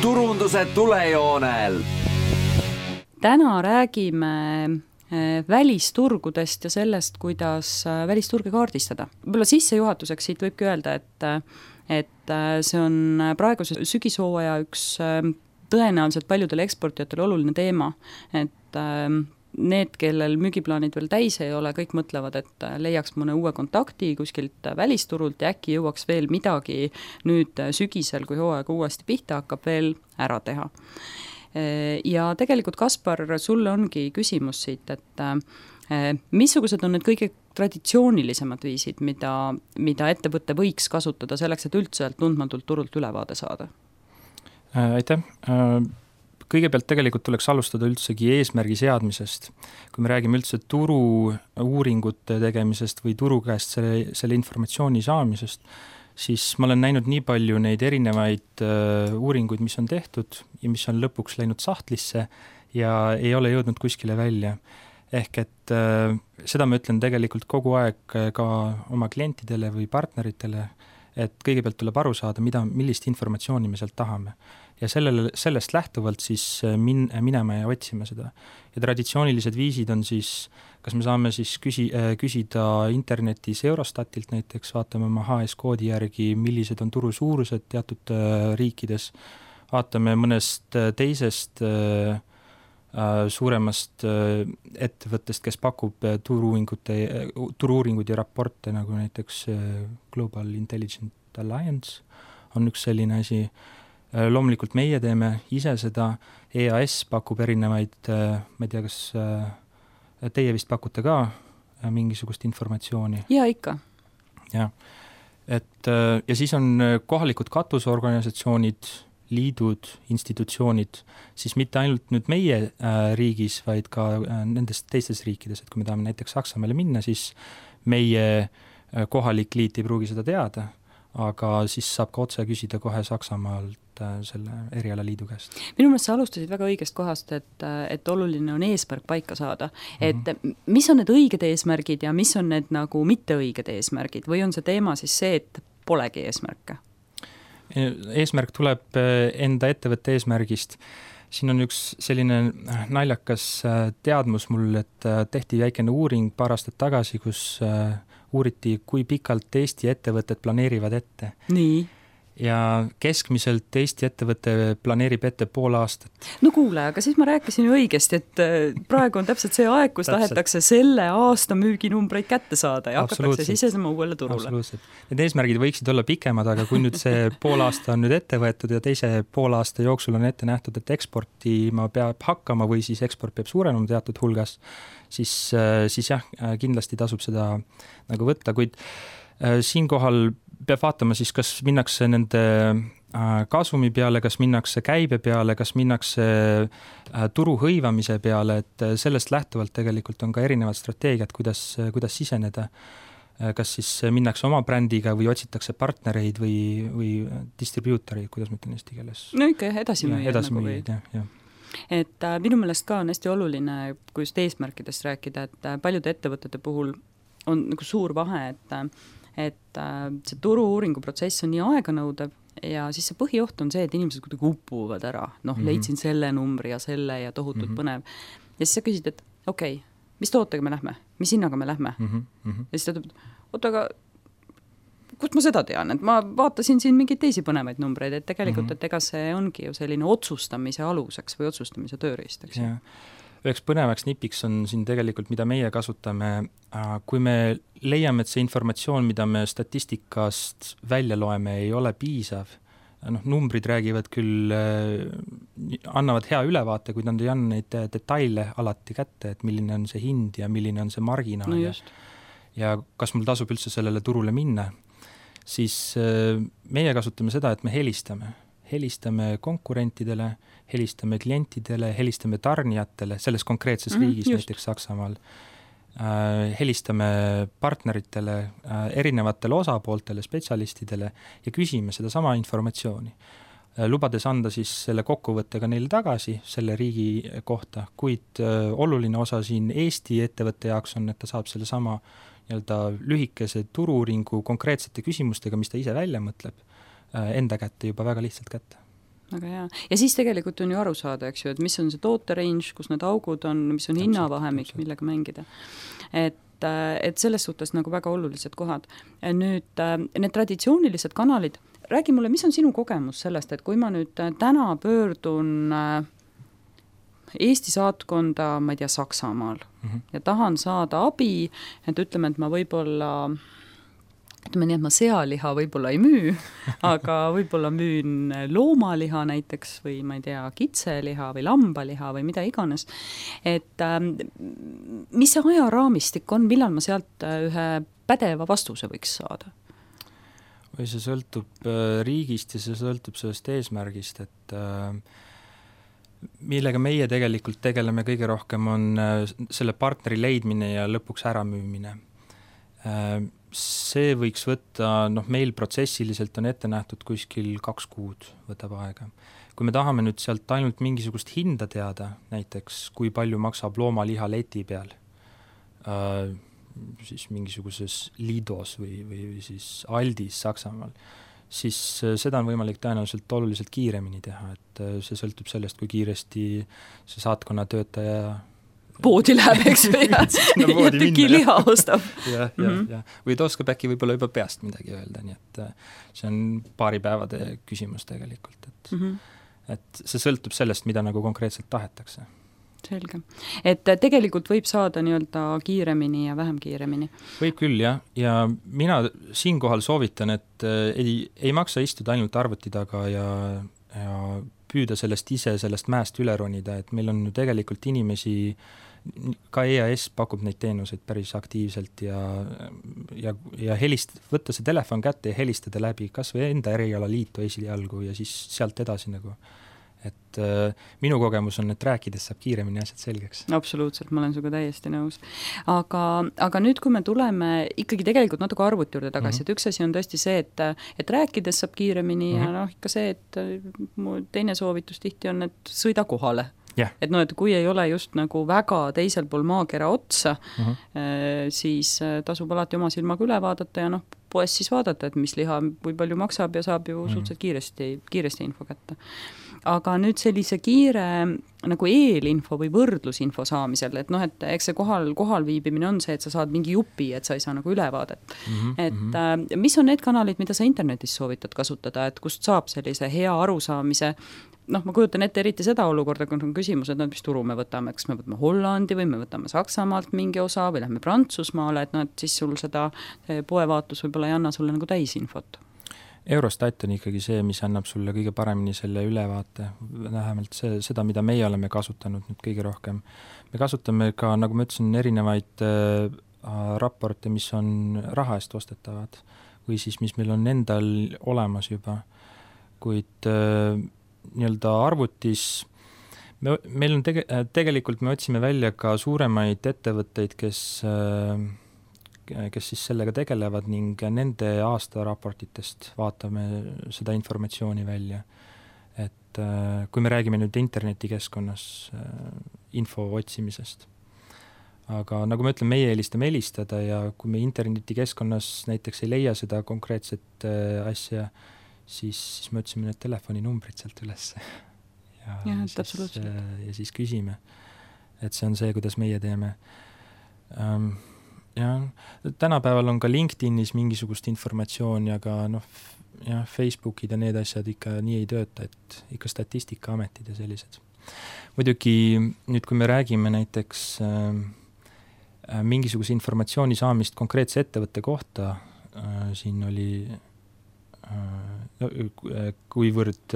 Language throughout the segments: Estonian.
turunduse tulejoonel. Täna räägime välisturgudest ja sellest, kuidas välisturge kaardistada. Võib-olla sissejuhatuseks siit võibki öelda, et see on praeguse sügishooaja üks tõenäoliselt paljudele eksportijatele oluline teema, et need, kellel müügiplaanid veel täis ei ole, kõik mõtlevad, et leiaks mõne uue kontakti kuskilt välisturult ja äkki jõuaks veel midagi nüüd sügisel, kui hooaeg uuesti pihta hakkab, veel ära teha. Ja tegelikult, Kaspar, sulle ongi küsimus siit, et missugused on need kõige traditsioonilisemad viisid, mida ettevõte võiks kasutada selleks, et üldse tundmatult turult ülevaade saada? Aitäh! Kõigepealt tegelikult tuleks alustada üldsegi eesmärgi seadmisest. Kui me räägime üldse turu uuringute tegemisest või turu käest selle informatsiooni saamisest, siis ma olen näinud nii palju neid erinevaid uuringuid, mis on tehtud ja mis on lõpuks läinud sahtlisse ja ei ole jõudnud kuskile välja. Ehk et seda ma ütlen tegelikult kogu aeg ka oma klientidele või partneritele, et kõigepealt tuleb aru saada, millist informatsiooni me sealt tahame. Ja sellest lähtuvalt siis minema ja otsime seda. Ja traditsioonilised viisid on siis, kas me saame siis küsida internetis Eurostatilt näiteks, vaatame oma HS-koodi järgi, millised on turu suurused teatud riikides, vaatame mõnest teisest suuremast ettevõttest, kes pakub turu-uuringuid ja raporte, nagu näiteks Global Intelligent Alliance on üks selline asi. Loomulikult meie teeme ise seda, EAS pakub erinevaid, ma ei tea, kas teie vist pakute ka mingisugust informatsiooni? Ja ikka. Ja siis on kohalikud katusorganisatsioonid, liidud, institutsioonid, siis mitte ainult nüüd meie riigis, vaid ka nendes teistes riikides, et kui me tahame näiteks Saksamaale minna, siis meie kohalik liit ei pruugi seda teada, aga siis saab ka otse küsida kohe Saksamaalt selle erialaliidu käest. Minu meelest sa alustasid väga õigest kohast, et oluline on eesmärk paika saada. Et mis on need õiged eesmärgid ja mis on need nagu mitte õiged eesmärgid või on see teema siis see, et polegi eesmärke? Eesmärk tuleb enda ettevõtte eesmärgist. Siin on üks selline naljakas teadmus mul, et tehti väikene uuring paar aastat tagasi, kus uuriti, kui pikalt Eesti ettevõtted planeerivad ette. Nii. Ja keskmiselt Eesti ettevõte planeerib ette pool aastat. No kuule, aga siis ma rääkisin ju õigesti, et praegu on täpselt see aeg, kus tahetakse selle aasta müüginumbreid kätte saada ja hakatakse sisesema uuele turule. Absoluutselt. Need eesmärgid võiksid olla pikemad, aga kui nüüd see pool aasta on nüüd ette võetud ja teise pool aasta jooksul on ette nähtud, et eksportima peab hakkama või siis eksport peab suurenema teatud hulgas, siis jah, kindlasti tasub seda nagu võtta, kuid siinkohal peab vaatama siis, kas minnakse nende kasumi peale, kas minnakse käibe peale, kas minnakse turu hõivamise peale, et sellest lähtuvalt tegelikult on ka erinevad strateegiad, kuidas siseneda. Kas siis minnakse oma brändiga või otsitakse partnereid või distribuutoreid, kuidas ma ütlen eesti keeles? No ikka edasimüüjad. jah. Et minu meelest ka on hästi oluline, kui just eesmärkidest rääkida, et paljude ettevõtete puhul on nagu suur vahe, et see turu-uuringu protsess on nii aeganõudev ja siis see põhioht on see, et inimesed kuidagi upuvad ära. Leidsin selle numbri ja selle ja tohutult põnev. Ja siis sa küsid, et okei, mis tootega me lähme? Mis hinnaga me lähme? Ja siis ta ütleb, oota, aga kust ma seda tean? Et ma vaatasin siin mingeid teisi põnevaid numbreid, et tegelikult, et ega see ongi ju selline otsustamise aluseks või otsustamise tööriistaks. Üheks põnevaks nipiks on siin tegelikult, mida meie kasutame, kui me leiame, et see informatsioon, mida me statistikast välja loeme, ei ole piisav. Numbrid räägivad küll, annavad hea ülevaate, kuid nad ei anna neid detaile alati kätte, et milline on see hind ja milline on see marginaal. No just. Ja kas mul tasub üldse sellele turule minna, siis meie kasutame seda, et me helistame konkurentidele, helistame klientidele, helistame tarnijatele selles konkreetses riigis, näiteks Saksamaal. Helistame partneritele, erinevatele osapooltele, spetsialistidele ja küsime seda sama informatsiooni. Lubades anda siis selle kokkuvõttega neile tagasi selle riigi kohta, kuid oluline osa siin Eesti ettevõtte jaoks on, et ta saab selle sama lühikese turu-uuringu konkreetsete küsimustega, mis ta ise välja mõtleb, enda kätte juba väga lihtsalt kätte. väga hea. Ja siis tegelikult on ju aru saada, eks ju, et mis on see toote range, kus need augud on, mis on hinnavahemik, millega mängida. Et selles suhtes nagu väga olulised kohad. Nüüd need traditsioonilised kanalid, räägi mulle, mis on sinu kogemus sellest, et kui ma nüüd täna pöördun Eesti saatkonda, ma ei tea, Saksamaal ja tahan saada abi, et ütleme, et ma võib-olla ütleme nii, et ma sealiha võib-olla ei müü, aga võib-olla müün loomaliha näiteks või ma ei tea, kitseliha või lambaliha või mida iganes. Et mis see ajaraamistik on, millal ma sealt ühe pädeva vastuse võiks saada? Või see sõltub riigist ja see sõltub sellest eesmärgist, et millega meie tegelikult tegeleme kõige rohkem on selle partneri leidmine ja lõpuks äramüümine. See võiks võtta, meil protsessiliselt on ette nähtud kuskil 2 kuud võtab aega. Kui me tahame nüüd sealt ainult mingisugust hinda teada, näiteks kui palju maksab loomaliha leti peal, siis mingisuguses Lidos või siis Aldis Saksamaal, siis seda on võimalik tõenäoliselt oluliselt kiiremini teha, et see sõltub sellest, kui kiiresti see saatkonna töötaja poodi läheb, eks või, ja tüki liha ostab. Ja. Või ta oskab äkki võib-olla juba peast midagi öelda, nii et see on paari päevade küsimus tegelikult, et see sõltub sellest, mida nagu konkreetselt tahetakse. Selge. Et tegelikult võib saada nii-öelda kiiremini ja vähem kiiremini. Võib küll, jah. Ja mina siinkohal soovitan, et ei maksa istuda ainult arvuti taga ja püüda sellest mäest üle ronida, et meil on ju tegelikult inimesi, ka EAS pakub neid teenuseid päris aktiivselt ja võtta see telefon kätte ja helistada läbi kas või enda erialaliitu esialgu ja siis sealt edasi nagu. Et minu kogemus on, et rääkides saab kiiremini asjad selgeks. Absoluutselt, ma olen suga täiesti nõus. Aga nüüd, kui me tuleme ikkagi tegelikult natuke arvuti juurde tagasi, et üks asi on tõesti see, et rääkides saab kiiremini ja ikka see, et mu teine soovitus tihti on, et sõida kohale. Yeah. Et et kui ei ole just nagu väga teisel pool maakera otsa, siis tasub alati oma silmaga üle vaadata ja poes siis vaadata, et mis liha või palju maksab ja saab ju suhteliselt kiiresti info kätte. Aga nüüd sellise kiire nagu eelinfo või võrdlusinfo saamisel, et eks see kohal viibimine on see, et sa saad mingi jupi, et sa ei saa nagu ülevaadet. Et mis on need kanalid, mida sa internetis soovitad kasutada, et kust saab sellise hea arusaamise? Ma kujutan ette eriti seda olukorda, kui on küsimus, et mis turu me võtame, kas me võtame Hollandi või me võtame Saksamaalt mingi osa või lähme Prantsusmaale, et siis sul seda poevaatlus võib-olla ei anna sulle nagu täisinfot. Eurostat on ikkagi see, mis annab sulle kõige paremini selle ülevaate, vähemalt seda, mida meie oleme kasutanud nüüd kõige rohkem. Me kasutame ka, nagu ma ütlesin, erinevaid raporte, mis on raha eest ostetavad või siis, mis meil on endal olemas juba, kuid nii-öelda arvutis meil on tegelikult me otsime välja ka suuremaid ettevõtteid, kes siis sellega tegelevad ning nende aastaraportitest vaatame seda informatsiooni välja. Et kui me räägime nüüd internetikeskkonnas info otsimisest. Aga nagu ma ütlen, meie eelistame helistada ja kui me internetikeskkonnas näiteks ei leia seda konkreetset asja, siis me otsime need telefoninumbrid sealt üles. Ja siis küsime, et see on see, kuidas meie teeme. Tänapäeval on ka LinkedInis mingisugust informatsiooni, aga Facebookid ja need asjad ikka nii ei tööta, et ikka statistikaametid ja sellised. Muidugi nüüd, kui me räägime näiteks mingisuguse informatsiooni saamist konkreetse ettevõtte kohta, siin oli kuivõrd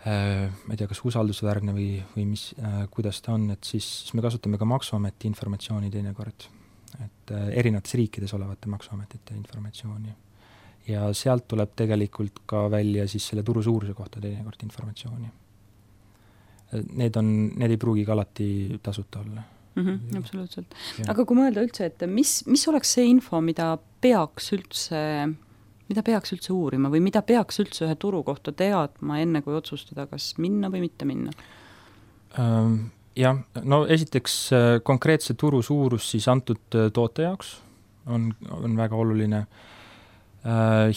ma ei tea, kas usaldusväärne või mis, kuidas ta on, et siis me kasutame ka Maksuameti informatsiooni teinekord, et erinevates riikides olevate Maksuametite informatsiooni. Ja sealt tuleb tegelikult ka välja siis selle turu suuruse kohta teinekord informatsiooni. Need ei pruugi ka alati tasuta olla. Absoluutselt. Aga kui mõelda üldse, et mis oleks see info, mida peaks üldse uurima või mida peaks üldse ühe turu kohta teadma enne, kui otsustada, kas minna või mitte minna? Esiteks konkreetse turu suurus siis antud toote jaoks on väga oluline.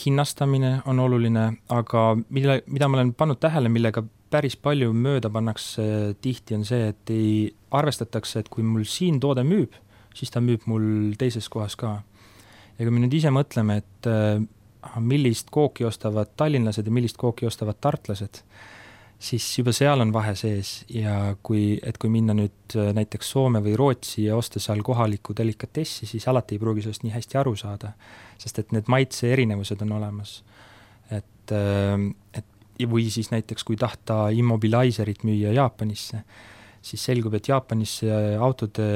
hinnastamine on oluline, aga mida ma olen pannud tähele, millega päris palju mööda pannakse tihti, on see, et ei arvestatakse, et kui mul siin toode müüb, siis ta müüb mul teises kohas ka. Ja kui me nüüd ise mõtleme, et millist kooki ostavad tallinlased ja millist kooki ostavad tartlased, siis juba seal on vahe sees ja kui minna nüüd näiteks Soome või Rootsi ja osta seal kohalikku delikatessi, siis alati ei pruugi sellest nii hästi aru saada, sest et need maitse erinevused on olemas. Või siis näiteks, kui tahta immobiliserit müüa Jaapanisse, siis selgub, et Jaapanisse autode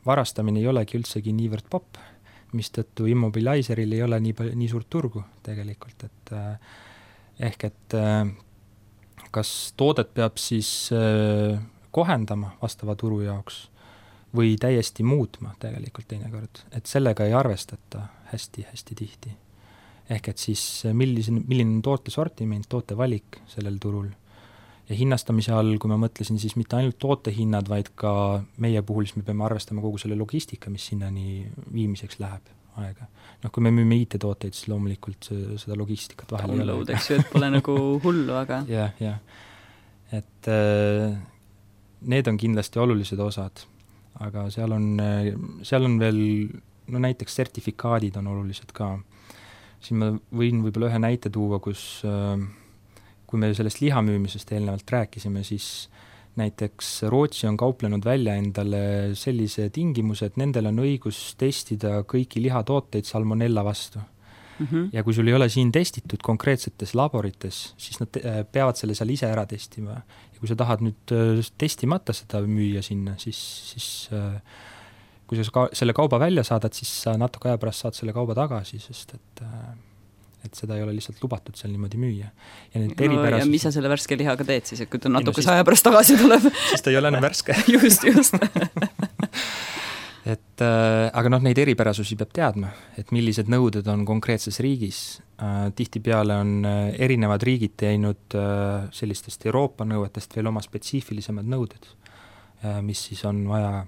varastamine ei olegi üldsegi niivõrd popp, mistõttu immobiliseril ei ole nii suurt turgu tegelikult, et kas toodet peab siis kohendama vastava turu jaoks või täiesti muutma tegelikult teinekord, et sellega ei arvestata hästi tihti. Ehk et siis milline on toote sortiment, toote valik sellel turul. Ja hinnastamise all, kui ma mõtlesin, siis mitte ainult toote hinnad, vaid ka meie puhul siis me peame arvestama kogu selle logistika, mis sinnani viimiseks läheb aega. Kui me müüme IT-tooteid, siis loomulikult seda logistikat vahel ei ole. Eks ju, et pole nagu hullu, aga... Ja. Et need on kindlasti olulised osad, aga seal on veel, näiteks sertifikaadid on olulised ka. Siin ma võin võib-olla ühe näite tuua, kui me sellest liha müümisest eelnevalt rääkisime, siis näiteks Rootsi on kauplenud välja endale sellise tingimuse, et nendel on õigus testida kõiki lihatooteid salmonella vastu. Ja kui sul ei ole siin testitud konkreetsetes laborites, siis nad peavad selle seal ise ära testima. Ja kui sa tahad nüüd testimata seda müüa sinna, siis kui sa selle kauba välja saadad, siis sa natuke aja pärast saad selle kauba tagasi, sest et seda ei ole lihtsalt lubatud seal niimoodi müüa. Ja mis sa selle värske lihaga teed siis, et kui ta natuke aja pärast tagasi tuleb? Siis ta ei ole enam värske. Just. Aga neid eripärasusi peab teadma, et millised nõuded on konkreetses riigis. Tihtipeale on erinevad riigid teinud sellistest Euroopa nõuetest veel oma spetsiifilisemad nõuded, mis siis on vaja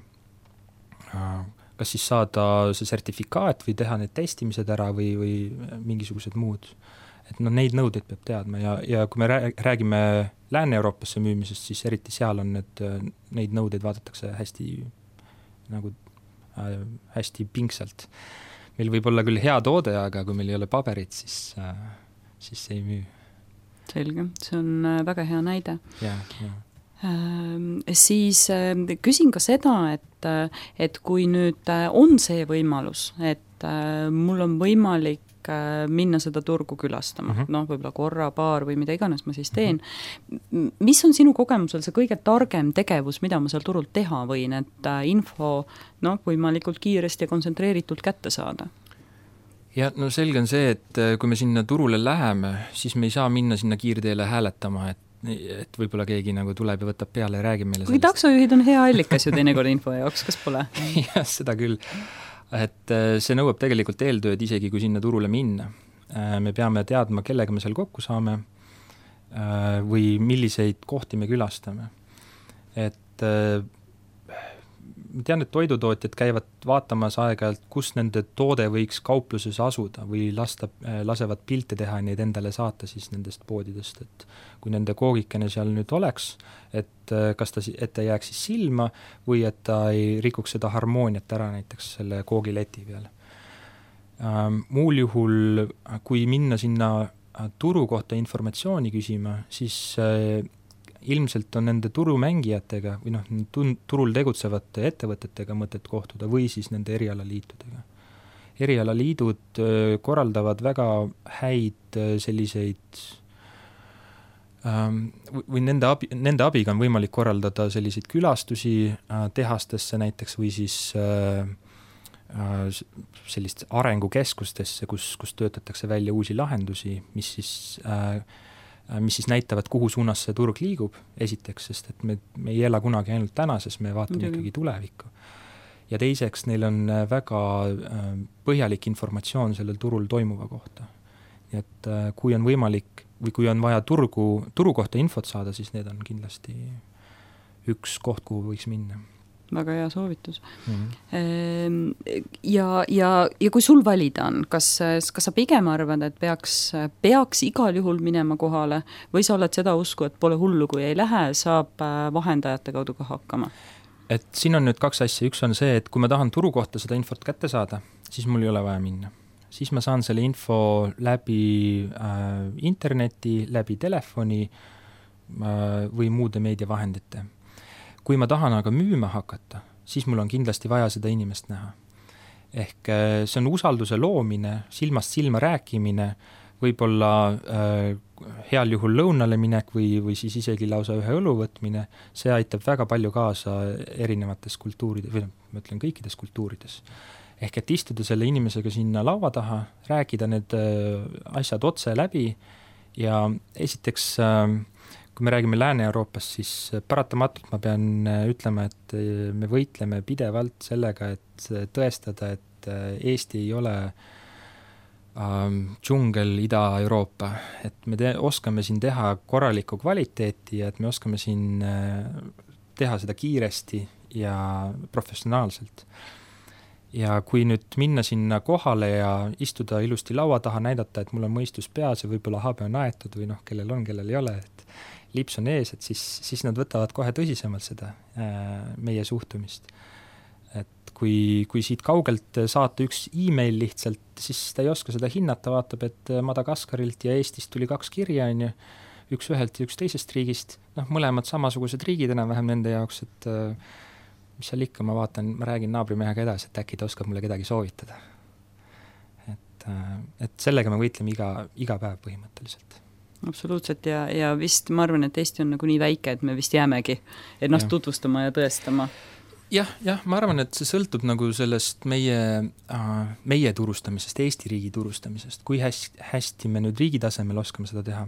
kas siis saada see sertifikaat või teha need testimised ära või mingisugused muud. Et neid nõudeid peab teadma ja kui me räägime Lääne-Euroopasse müümisest, siis eriti seal on neid nõudeid vaadatakse hästi pingsalt. Meil võib olla küll hea toode, aga kui meil ei ole paberit, siis see ei müü. Selge, see on väga hea näide. Ja. Siis küsin ka seda, et kui nüüd on see võimalus, et mul on võimalik minna seda turgu külastama, võib-olla korra, paar või mida iganes ma siis teen. Mis on sinu kogemusel see kõige targem tegevus, mida ma seal turult teha võin, et info võimalikult kiiresti ja kontsentreeritult kätte saada? Ja selge on see, et kui me sinna turule läheme, siis me ei saa minna sinna kiirteele hääletama, et võib-olla keegi tuleb ja võtab peale ja räägib meile sellest. Kui taksojuhid on hea allikas ju teinekord info jaoks, kas pole? Jah, seda küll. Et see nõuab tegelikult eeltööd isegi, kui sinna turule minna. Me peame teadma, kellega me seal kokku saame või milliseid kohti me külastame. Et ma tean, et toidutootjad käivad vaatamas aeg-ajalt, kus nende toode võiks kaupluses asuda või lasevad pilte teha ja neid endale saata siis nendest poodidest, et kui nende koogikene seal nüüd oleks, et kas ta jääks siis silma või et ta ei rikuks seda harmooniat ära näiteks selle koogileti peal. Muul juhul, kui minna sinna turu kohta informatsiooni küsima, siis ilmselt on nende turumängijatega või turul tegutsevate ettevõtetega mõtet kohtuda või siis nende erialaliitudega. Erialaliidud korraldavad väga häid selliseid või nende abiga on võimalik korraldada selliseid külastusi tehastesse näiteks või siis sellist arengukeskustesse, kus töötatakse välja uusi lahendusi, mis siis näitavad, kuhu suunas see turg liigub, esiteks, sest et me ei ela kunagi ainult tänases, me vaatame ikkagi tulevikku. Ja teiseks, neil on väga põhjalik informatsioon sellel turul toimuva kohta. Nii et kui on võimalik või kui on vaja turu kohta infot saada, siis need on kindlasti üks koht, kuhu võiks minna. väga hea soovitus. Ja kui sul valida on, kas sa pigem arvad, et peaks igal juhul minema kohale või sa oled seda usku, et pole hullu, kui ei lähe, saab vahendajate kaudu ka hakkama? Et siin on nüüd kaks asja, üks on see, et kui ma tahan turu kohta seda infot kätte saada, siis mul ei ole vaja minna. Siis ma saan selle info läbi interneti, läbi telefoni või muude meediavahendite. Kui ma tahan aga müüma hakata, siis mul on kindlasti vaja seda inimest näha. Ehk see on usalduse loomine, silmast silma rääkimine, võib-olla heal juhul lõunale minek või siis isegi lausa ühe õlu võtmine, see aitab väga palju kaasa erinevates kultuurides, või ma ütlen kõikides kultuurides. Ehk et istuda selle inimesega sinna laua taha, rääkida need asjad otse läbi ja esiteks kui me räägime Lääne-Euroopast, siis paratamatult ma pean ütlema, et me võitleme pidevalt sellega, et tõestada, et Eesti ei ole džungel Ida-Euroopa. Et me oskame siin teha korralikku kvaliteeti ja et me oskame siin teha seda kiiresti ja professionaalselt. Ja kui nüüd minna sinna kohale ja istuda ilusti laua taha, näidata, et mul on mõistus peas ja võib-olla habe on aetud või kellel on, kellel ei ole, et lips on ees, et siis nad võtavad kohe tõsisemalt seda meie suhtumist. Et kui siit kaugelt saata üks e-mail lihtsalt, siis ta ei oska seda hinnata, vaatab, et Madagaskarilt ja Eestist tuli 2 kirja, üks ühelt ja üks teisest riigist, mõlemad samasugused riigid enam-vähem nende jaoks, et mis seal ikka, ma räägin naabrimehega edasi, et äkki ta oskab mulle kedagi soovitada. Et sellega me võitleme iga päev põhimõtteliselt. Absoluutselt ja vist ma arvan, et Eesti on nagu nii väike, et me vist jäämegi ennast tutvustama ja tõestama. Jah, ma arvan, et see sõltub nagu sellest meie turustamisest, Eesti riigi turustamisest, kui hästi me nüüd riigi tasemel oskame seda teha.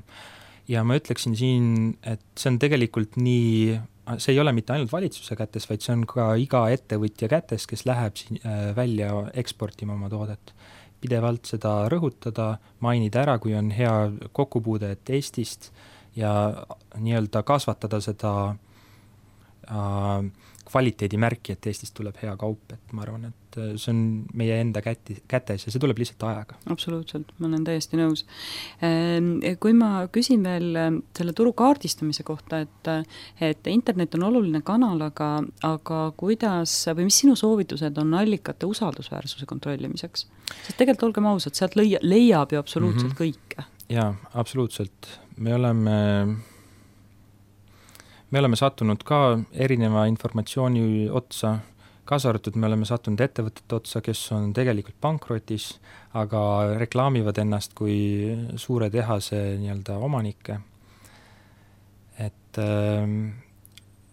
Ja ma ütleksin siin, et see on tegelikult nii, see ei ole mitte ainult valitsuse kätes, vaid see on ka iga ettevõtja kätes, kes läheb välja eksportima oma toodet. Pidevalt seda rõhutada, mainida ära, kui on hea kokkupuude Eestist ja nii-öelda kasvatada seda kvaliteedimärki, et Eestist tuleb hea kaup, et ma arvan, et see on meie enda kätes ja see tuleb lihtsalt ajaga. Absoluutselt, ma olen täiesti nõus. Kui ma küsin veel selle turu kaardistamise kohta, et internet on oluline kanal, aga kuidas või mis sinu soovitused on allikate usaldusväärsuse kontrollimiseks? Sest tegelikult olgem ausad, sealt leiab ju absoluutselt kõike. Jaa, absoluutselt. Me oleme sattunud ka erineva informatsiooni otsa, kaasa arvatud me oleme sattunud ettevõtete otsa, kes on tegelikult pankrotis, aga reklaamivad ennast kui suure tehase nii-öelda omanikke. Et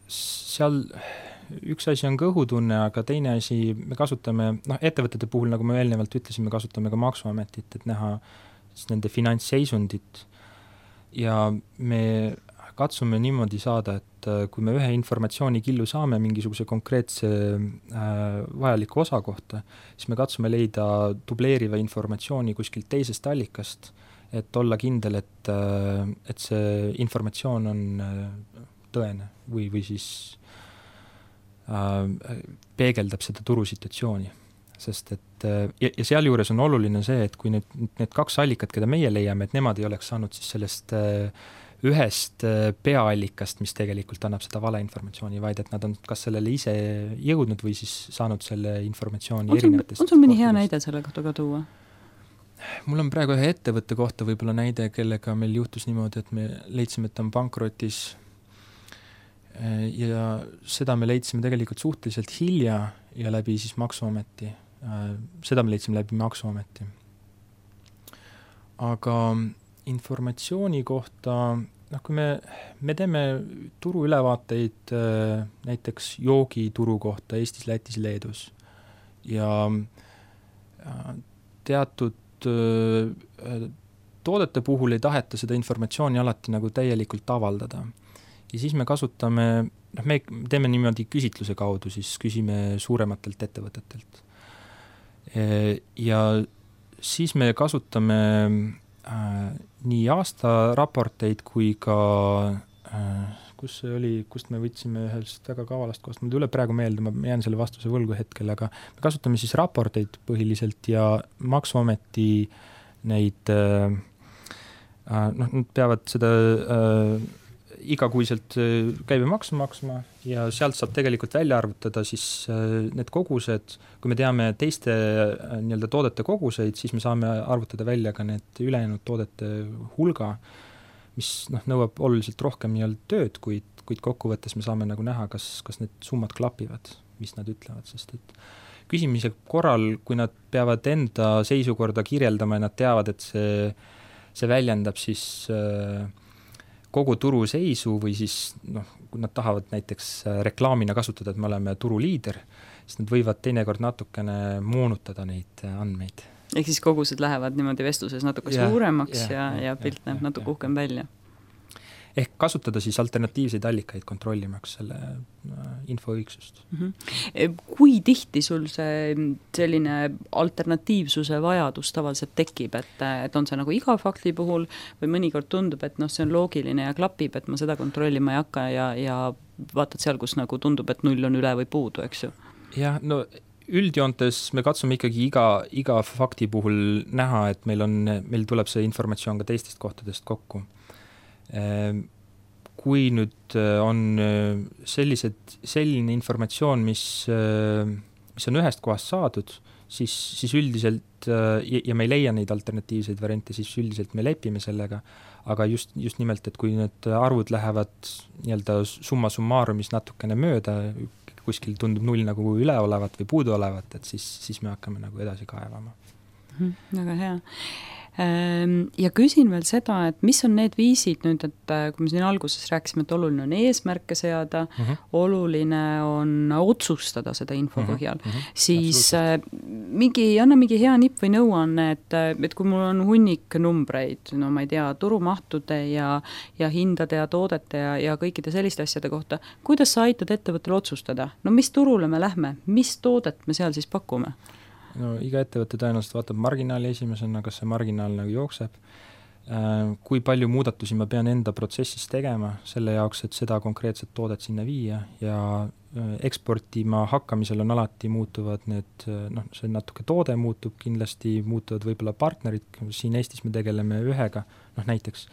seal üks asi on kõhutunne, aga teine asi, me kasutame, ettevõtete puhul, nagu me eelnevalt ütlesime, me kasutame ka maksuametit, et näha nende finantsseisundit ja me katsume niimoodi saada, et kui me ühe informatsioonikillu saame mingisuguse konkreetse vajaliku osa kohta, siis me katsume leida dubleeriva informatsiooni kuskilt teisest allikast, et olla kindel, et see informatsioon on tõene või siis peegeldab seda turusituatsiooni. Sest et, ja seal juures on oluline see, et kui need 2 allikat, keda meie leiame, et nemad ei oleks saanud siis sellest ühest peaallikast, mis tegelikult annab seda valeinformatsiooni, vaid et nad on kas sellele ise jõudnud või siis saanud selle informatsiooni erinevatest. On sul mõni hea näide selle kohta ka tuua? Mul on praegu ühe ettevõtte kohta võib-olla näide, kellega meil juhtus niimoodi, et me leidsime, et ta on pankrotis ja seda me leidsime tegelikult suhteliselt hilja ja läbi siis maksuameti. Seda me leidsime läbi maksuameti. Aga informatsiooni kohta, kui me teeme turuülevaateid näiteks joogituru kohta Eestis, Lätis, Leedus ja teatud toodete puhul ei taheta seda informatsiooni alati nagu täielikult avaldada. Ja siis me kasutame, me teeme niimoodi küsitluse kaudu, siis küsime suurematelt ettevõtetelt. Ja siis me kasutame nii aastaraporteid kui kus see oli, kust me võtsime ühest väga kavalast kohast, mul tuleb praegu meelde, ma jään selle vastuse võlgu hetkel, aga me kasutame siis raporteid põhiliselt ja Maksuameti neid nad peavad seda igakuiselt käibemaksu maksma ja sealt saab tegelikult välja arvutada siis need kogused, kui me teame teiste nii-öelda toodete koguseid, siis me saame arvutada välja ka need ülejäänud toodete hulga, mis nõuab oluliselt rohkem nii-öelda tööd, kuid kokkuvõttes me saame nagu näha, kas need summad klapivad, mis nad ütlevad, sest et küsimise korral, kui nad peavad enda seisukorda kirjeldama ja nad teavad, et see väljendab siis kogu turu seisu või siis kui nad tahavad näiteks reklaamina kasutada, et me oleme turuliider, siis nad võivad teinekord natukene moonutada neid andmeid. Ehk siis kogused lähevad niimoodi vestluses natuke suuremaks ja pilt näeb natuke uhkem välja. Ehk kasutada siis alternatiivseid allikaid kontrollimaks selle info õigsust. Kui tihti sul see selline alternatiivsuse vajadus tavaliselt tekib, et on see nagu iga fakti puhul või mõnikord tundub, et see on loogiline ja klapib, et ma seda kontrollima ei hakka ja vaatad seal, kus nagu tundub, et 0 on üle või puudu, eks ju? Jah, üldjoontes me katsume ikkagi iga fakti puhul näha, et meil tuleb see informatsioon ka teistest kohtadest kokku. Kui nüüd on selline informatsioon, mis on ühest kohast saadud, siis üldiselt, ja me ei leia neid alternatiivseid variante, siis üldiselt me lepime sellega, aga just nimelt, et kui need arvud lähevad nii-öelda summa summarumis natukene mööda, kuskil tundub 0 nagu üle olevat või puudu olevat, et siis me hakkame nagu edasi kaevama. Väga hea. Ja küsin veel seda, et mis on need viisid nüüd, et kui me siin alguses rääkisime, et oluline on eesmärke seada, oluline on otsustada seda info põhjal, siis anna mingi hea nipp või nõuanne, et kui mul on hunnik numbreid, ma ei tea, turumahtude ja hindade ja toodete ja kõikide selliste asjade kohta, kuidas sa aitad ettevõttel otsustada? Mis turule me lähme? Mis toodet me seal siis pakume? Iga ettevõtte tõenäoliselt vaatab marginaali esimesena, kas see marginaal nagu jookseb, kui palju muudatusi ma pean enda protsessis tegema selle jaoks, et seda konkreetset toodet sinna viia ja eksportima hakkamisel on alati muutuvad need, see natuke toode muutub, kindlasti muutuvad võib-olla partnerid, siin Eestis me tegeleme ühega, näiteks,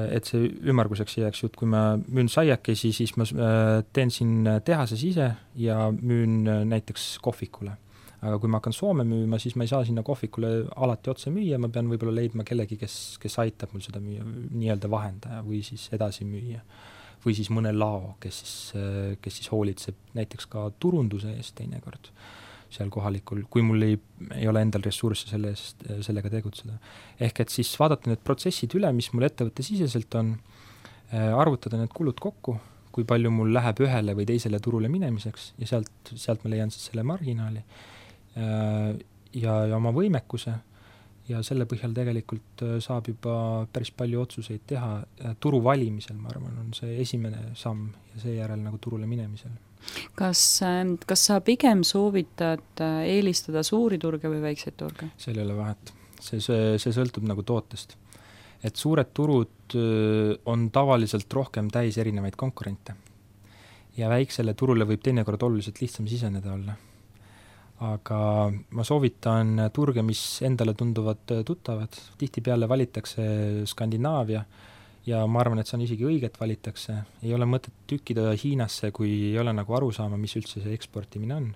et see ümmarguseks jääks jutt, kui ma müün saiakesi, siis ma teen siin tehases ise ja müün näiteks kohvikule. Aga kui ma hakkan Soome müüma, siis ma ei saa sinna kohvikule alati otse müüa, ma pean võib-olla leidma kellegi, kes aitab mul seda müüa, nii-öelda vahendaja või siis edasi müüa. Või siis mõne lao, kes siis hoolitseb näiteks ka turunduse eest teinekord seal kohalikul, kui mul ei ole endal ressursse sellega tegutseda. Ehk et siis vaadata need protsessid üle, mis mul ettevõtte siseselt on, arvutada need kulud kokku, kui palju mul läheb ühele või teisele turule minemiseks ja sealt ma leian siis selle marginaali ja oma võimekuse ja selle põhjal tegelikult saab juba päris palju otsuseid teha. Turu valimisel, ma arvan, on see esimene samm ja seejärel nagu turule minemisel. Kas sa pigem soovitad eelistada suuri turge või väikseid turge? Seal ei ole vahet. See sõltub nagu tootest. Et suured turud on tavaliselt rohkem täis erinevaid konkurente ja väiksele turule võib teinekord oluliselt lihtsam siseneda olla. Aga ma soovitan turge, mis endale tunduvad tuttavad. Tihtipeale valitakse Skandinaavia ja ma arvan, et see on isegi õiget valitakse. Ei ole mõtet tükkida Hiinasse, kui ei ole nagu aru saama, mis üldse see eksportimine on.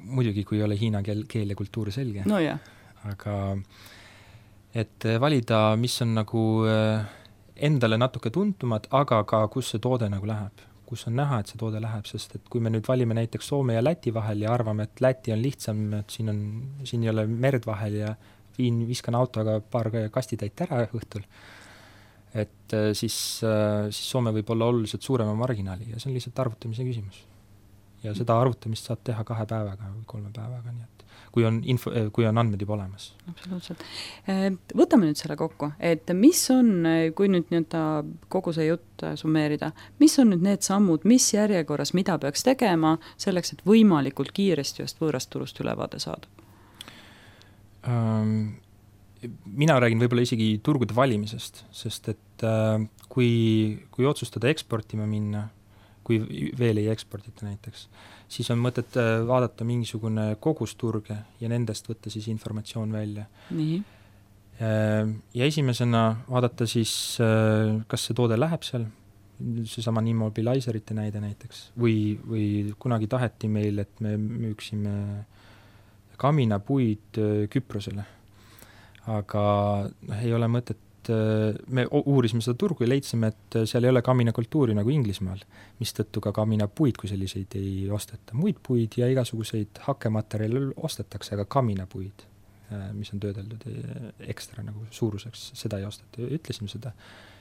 Muidugi, kui ei ole hiina keel ja kultuur selge. No jah. Aga et valida, mis on nagu endale natuke tuntumad, aga ka kus see toode nagu läheb. Kus on näha, et see toode läheb, sest et kui me nüüd valime näiteks Soome ja Läti vahel ja arvame, et Läti on lihtsam, et siin ei ole merd vahel ja viskan autoga paar kastitäit ära õhtul, et siis Soome võib olla oluliselt suurema marginaali ja see on lihtsalt arvutamise küsimus. Ja seda arvutamist saab teha 2 päevaga või 3 päevaga, nii et kui on andmed juba olemas. Absoluutselt. Võtame nüüd selle kokku, et mis on, kui nüüd kogu see jutt summeerida, mis on nüüd need sammud, mis järjekorras, mida peaks tegema selleks, et võimalikult kiiresti just võõrast turust ülevaade saada? mina räägin võib-olla isegi turgude valimisest, sest et kui otsustada eksportima minna, kui veel ei eksportita näiteks, siis on mõtet vaadata mingisugune kogusturge ja nendest võtta siis informatsioon välja. Nii. Ja esimesena vaadata siis, kas see toode läheb seal, seesama immobiliserite näide näiteks, või kunagi taheti meil, et me müüksime kaminapuid Küprosele. Aga ei ole mõtet, me uurisime seda turgu ja leidsime, et seal ei ole kaminakultuuri nagu Inglismaal, mistõttu ka kaminapuid kui selliseid ei osteta. Muid puid ja igasuguseid hakkematerjale ostetakse, aga kaminapuid, mis on töödeldud ekstra nagu suuruseks, seda ei osteta. Ütlesime seda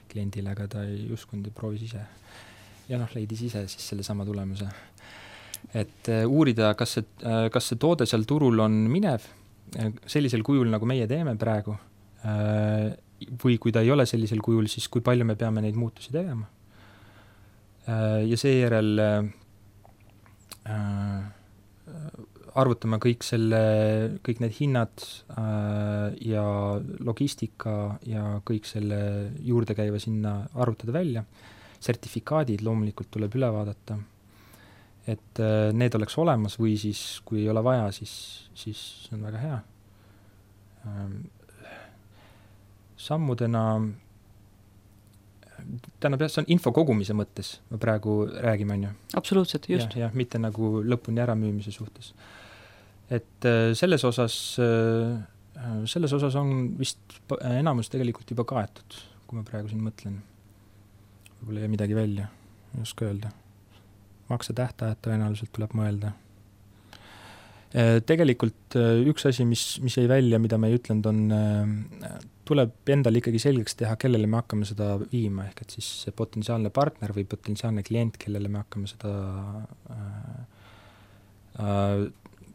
kliendile, aga ta ei uskunud ja proovis ise. Ja leidis ise siis selle sama tulemuse. Et uurida, kas see toode seal turul on minev, sellisel kujul, nagu meie teeme praegu, või kui ta ei ole sellisel kujul, siis kui palju me peame neid muutusi tegema. Ja seejärel arvutame kõik need hinnad ja logistika ja kõik selle juurde käiva sinna arvutada välja. Sertifikaadid loomulikult tuleb üle vaadata, et need oleks olemas või siis, kui ei ole vaja, siis on väga hea. Sammudena, see on info kogumise mõttes, me praegu räägime, on ju. Absoluutselt, just. Ja, mitte nagu lõpuni äramüümise suhtes. Et selles osas on vist enamus tegelikult juba kaetud, kui ma praegu siin mõtlen. Võib-olla ei midagi välja, ei oska öelda. Makse tähtajad tõenäoliselt tuleb mõelda. Tegelikult üks asi, mis jäi välja, mida me ei ütlenud, tuleb endal ikkagi selgeks teha, kellele me hakkame seda viima, ehk et siis see potentsiaalne partner või potentsiaalne klient, kellele me hakkame seda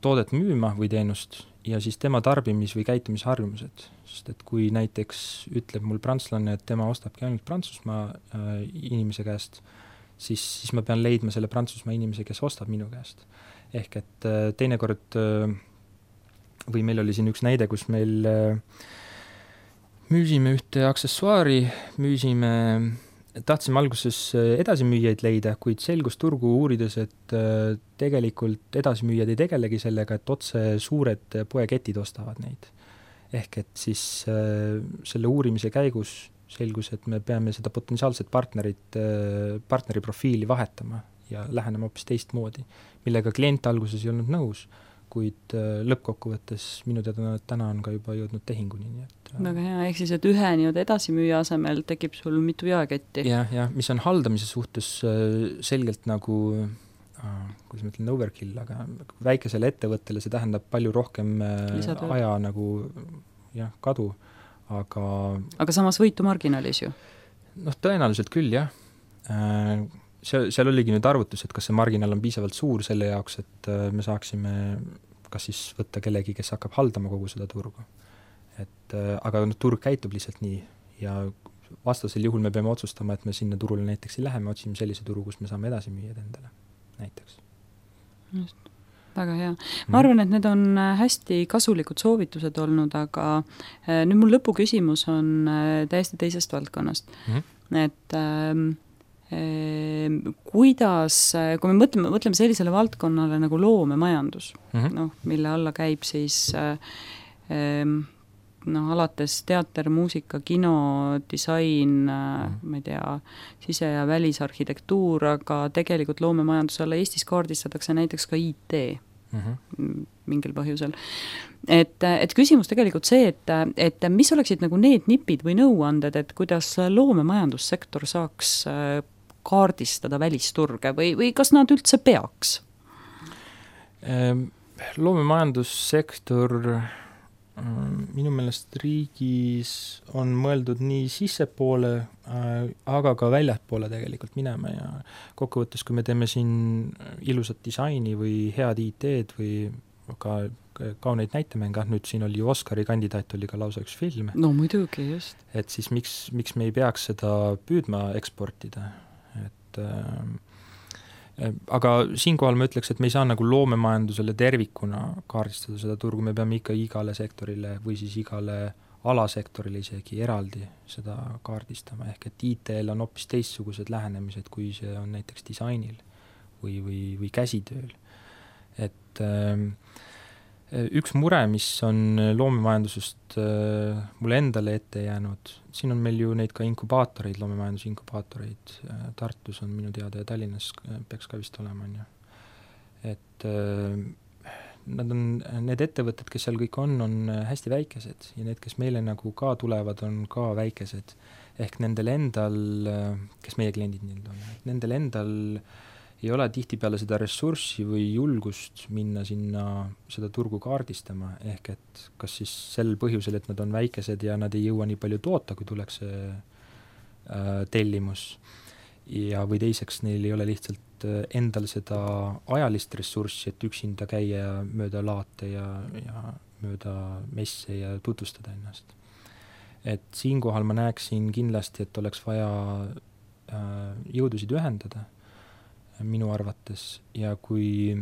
toodet müüma või teenust ja siis tema tarbimis- või käitumisharjumused. Sest et kui näiteks ütleb mul prantslane, et tema ostabki ainult Prantsusmaa inimese käest, siis ma pean leidma selle Prantsusmaa inimese, kes ostab minu käest. Ehk et teinekord, või meil oli siin üks näide, kus meil müüsime ühte aksessuaari, tahtsime alguses edasimüüjaid leida, kuid selgus turgu uurides, et tegelikult edasimüüjad ei tegelegi sellega, et otse suured poeketid ostavad neid. Ehk et siis selle uurimise käigus selgus, et me peame seda potentsiaalset partneri profiili vahetama ja lähenema hoopis teistmoodi, millega klient alguses ei olnud nõus, kuid lõppkokkuvõttes minu teada täna on ka juba jõudnud tehinguni. Väga hea, ehk siis, et ühe edasimüüja asemel tekib sul mitu jaeketti. Ja, mis on haldamise suhtes selgelt nagu, kuidas ma ütlen, overkill, aga väikesele ettevõttele see tähendab palju rohkem aja nagu kadu, aga samas võitu marginaalis ju? Tõenäoliselt küll, jah. Seal oligi nüüd arvutus, et kas see marginaal on piisavalt suur selle jaoks, et me saaksime kas siis võtta kellegi, kes hakkab haldama kogu seda turgu. Aga turg käitub lihtsalt nii ja vastasel juhul me peame otsustama, et me sinna turule näiteks ei lähe, me otsime sellise turu, kus me saame edasi müüa endale näiteks. Just, väga hea. Ma arvan, et need on hästi kasulikud soovitused olnud, aga nüüd mul lõpuküsimus on täiesti teisest valdkonnast. Et kuidas, kui me mõtleme sellisele valdkonnale nagu loomemajandus, mille alla käib siis alates teater, muusika, kino, disain, ma ei tea, sise- ja välisarhitektuur, aga tegelikult loomemajanduse alla Eestis kaardistatakse näiteks ka IT mingil põhjusel. Et küsimus tegelikult see, et mis oleksid nagu need nipid või nõuanded, et kuidas loomemajandussektor saaks kaardistada välisturge või kas nad üldse peaks? Loomemajandussektor minu meelest riigis on mõeldud nii sissepoole, aga ka väljapoole tegelikult minema ja kokkuvõttes, kui me teeme siin ilusat disaini või head IT-d või ka kauneid näitemänge, nüüd siin oli ju Oscari kandidaat, oli ka lausa üks film. No muidugi, just. Et siis miks me ei peaks seda püüdma eksportida, aga siinkohal ma ütleks, et me ei saa nagu loomemajandusele tervikuna kaardistada seda turgu, me peame ikka igale sektorile või siis igale alasektorile isegi eraldi seda kaardistama, ehk et IT-l on hoopis teistsugused lähenemised, kui see on näiteks disainil või käsitööl. Et üks mure, mis on loomemajandusest mulle endale ette jäänud, siin on meil ju neid ka inkubaatoreid, loomemajanduse inkubaatoreid, Tartus on minu teada ja Tallinnas peaks ka vist olema, on ju. Et need ettevõtted, kes seal kõik on hästi väikesed ja need, kes meile nagu ka tulevad, on ka väikesed. Ehk nendel endal, kes meie kliendid nüüd on, nendel endal ei ole tihtipeale seda ressurssi või julgust minna sinna seda turgu kaardistama, ehk et kas siis sel põhjusel, et nad on väikesed ja nad ei jõua nii palju toota, kui tuleks tellimus, ja või teiseks neil ei ole lihtsalt endal seda ajalist ressurssi, et üksinda käia mööda laate ja mööda messe ja tutvustada ennast. Et siinkohal ma näeksin kindlasti, et oleks vaja jõudusid ühendada minu arvates, ja kui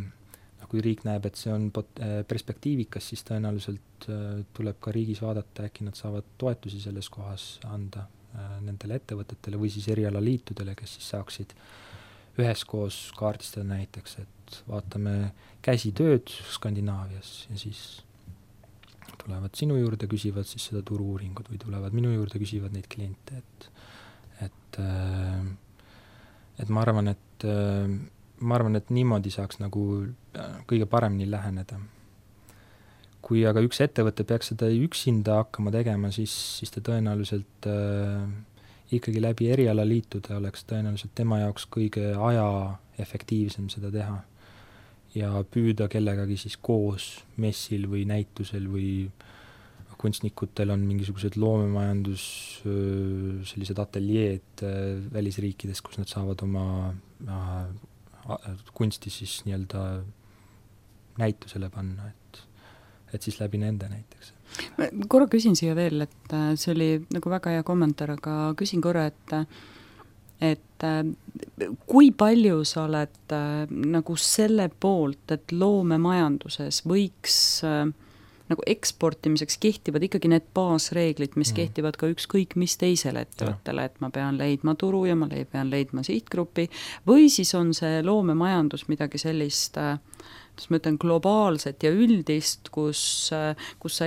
riik näeb, et see on perspektiivikas, siis tõenäoliselt tuleb ka riigis vaadata, äkki nad saavad toetusi selles kohas anda nendele ettevõtetele või siis erialaliitudele, kes siis saaksid üheskoos kaardistada näiteks, et vaatame käsitööd Skandinaavias ja siis tulevad sinu juurde, küsivad siis seda turu-uuringut või tulevad minu juurde, küsivad neid kliente, et ma arvan, et niimoodi saaks nagu kõige paremini läheneda. Kui aga üks ettevõte peaks seda üksinda hakkama tegema, siis ta tõenäoliselt ikkagi läbi erialaliitude oleks tõenäoliselt tema jaoks kõige ajaefektiivsem seda teha ja püüda kellegagi siis koos messil või näitusel või kunstnikutel on mingisugused loomemajandus sellised ateljeed välisriikides, kus nad saavad oma kunsti siis nii-öelda näitusele panna, et siis läbi nende näiteks. Ma korra küsin siia veel, et see oli nagu väga hea kommentaar, aga küsin korra, et kui palju sa oled nagu selle poolt, et loomemajanduses võiks nagu eksportimiseks kehtivad ikkagi need baasreeglid, mis kehtivad ka ükskõik mis teisele ettevõttele, et ma pean leidma turu ja ma pean leidma sihtgrupi, või siis on see loomemajandus midagi sellist, ma ütlen, globaalset ja üldist, kus sa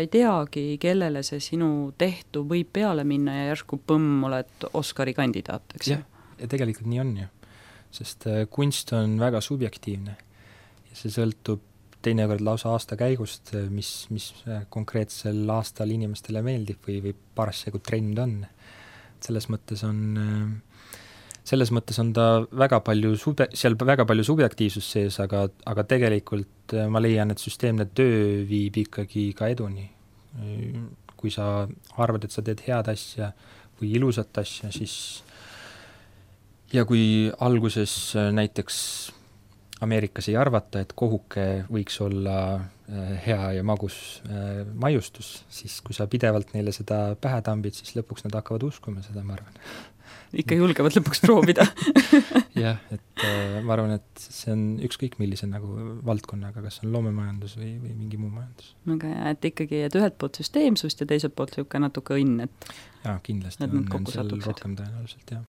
ei teagi, kellele see sinu tehtu võib peale minna ja järsku põmm, oled Oscari kandidaat, eks ju? Ja tegelikult nii on ju, sest kunst on väga subjektiivne ja see sõltub teinekord lausa aasta käigust, mis konkreetsel aastal inimestele meeldib või parasjagu trend on. Selles mõttes on ta väga palju seal väga palju subjektiivsust sees, aga tegelikult ma leian, et süsteemne töö viib ikkagi ka eduni. Kui sa arvad, et sa teed head asja või ilusat asja, siis ja kui alguses näiteks Ameerikas ei arvata, et kohuke võiks olla hea ja magus maiustus, siis kui sa pidevalt neile seda pähe tambid, siis lõpuks nad hakkavad uskuma seda, ma arvan. Ikka julgevad lõpuks proovida. Jah, et ma arvan, et see on ükskõik millise nagu valdkonnaga, kas on loomemajandus või mingi muu majandus. Aga jah, et ikkagi, et ühelt poolt süsteemsust ja teiselt poolt natuke õnn, et jaa, kindlasti on seal rohkem tõenäoliselt, jah.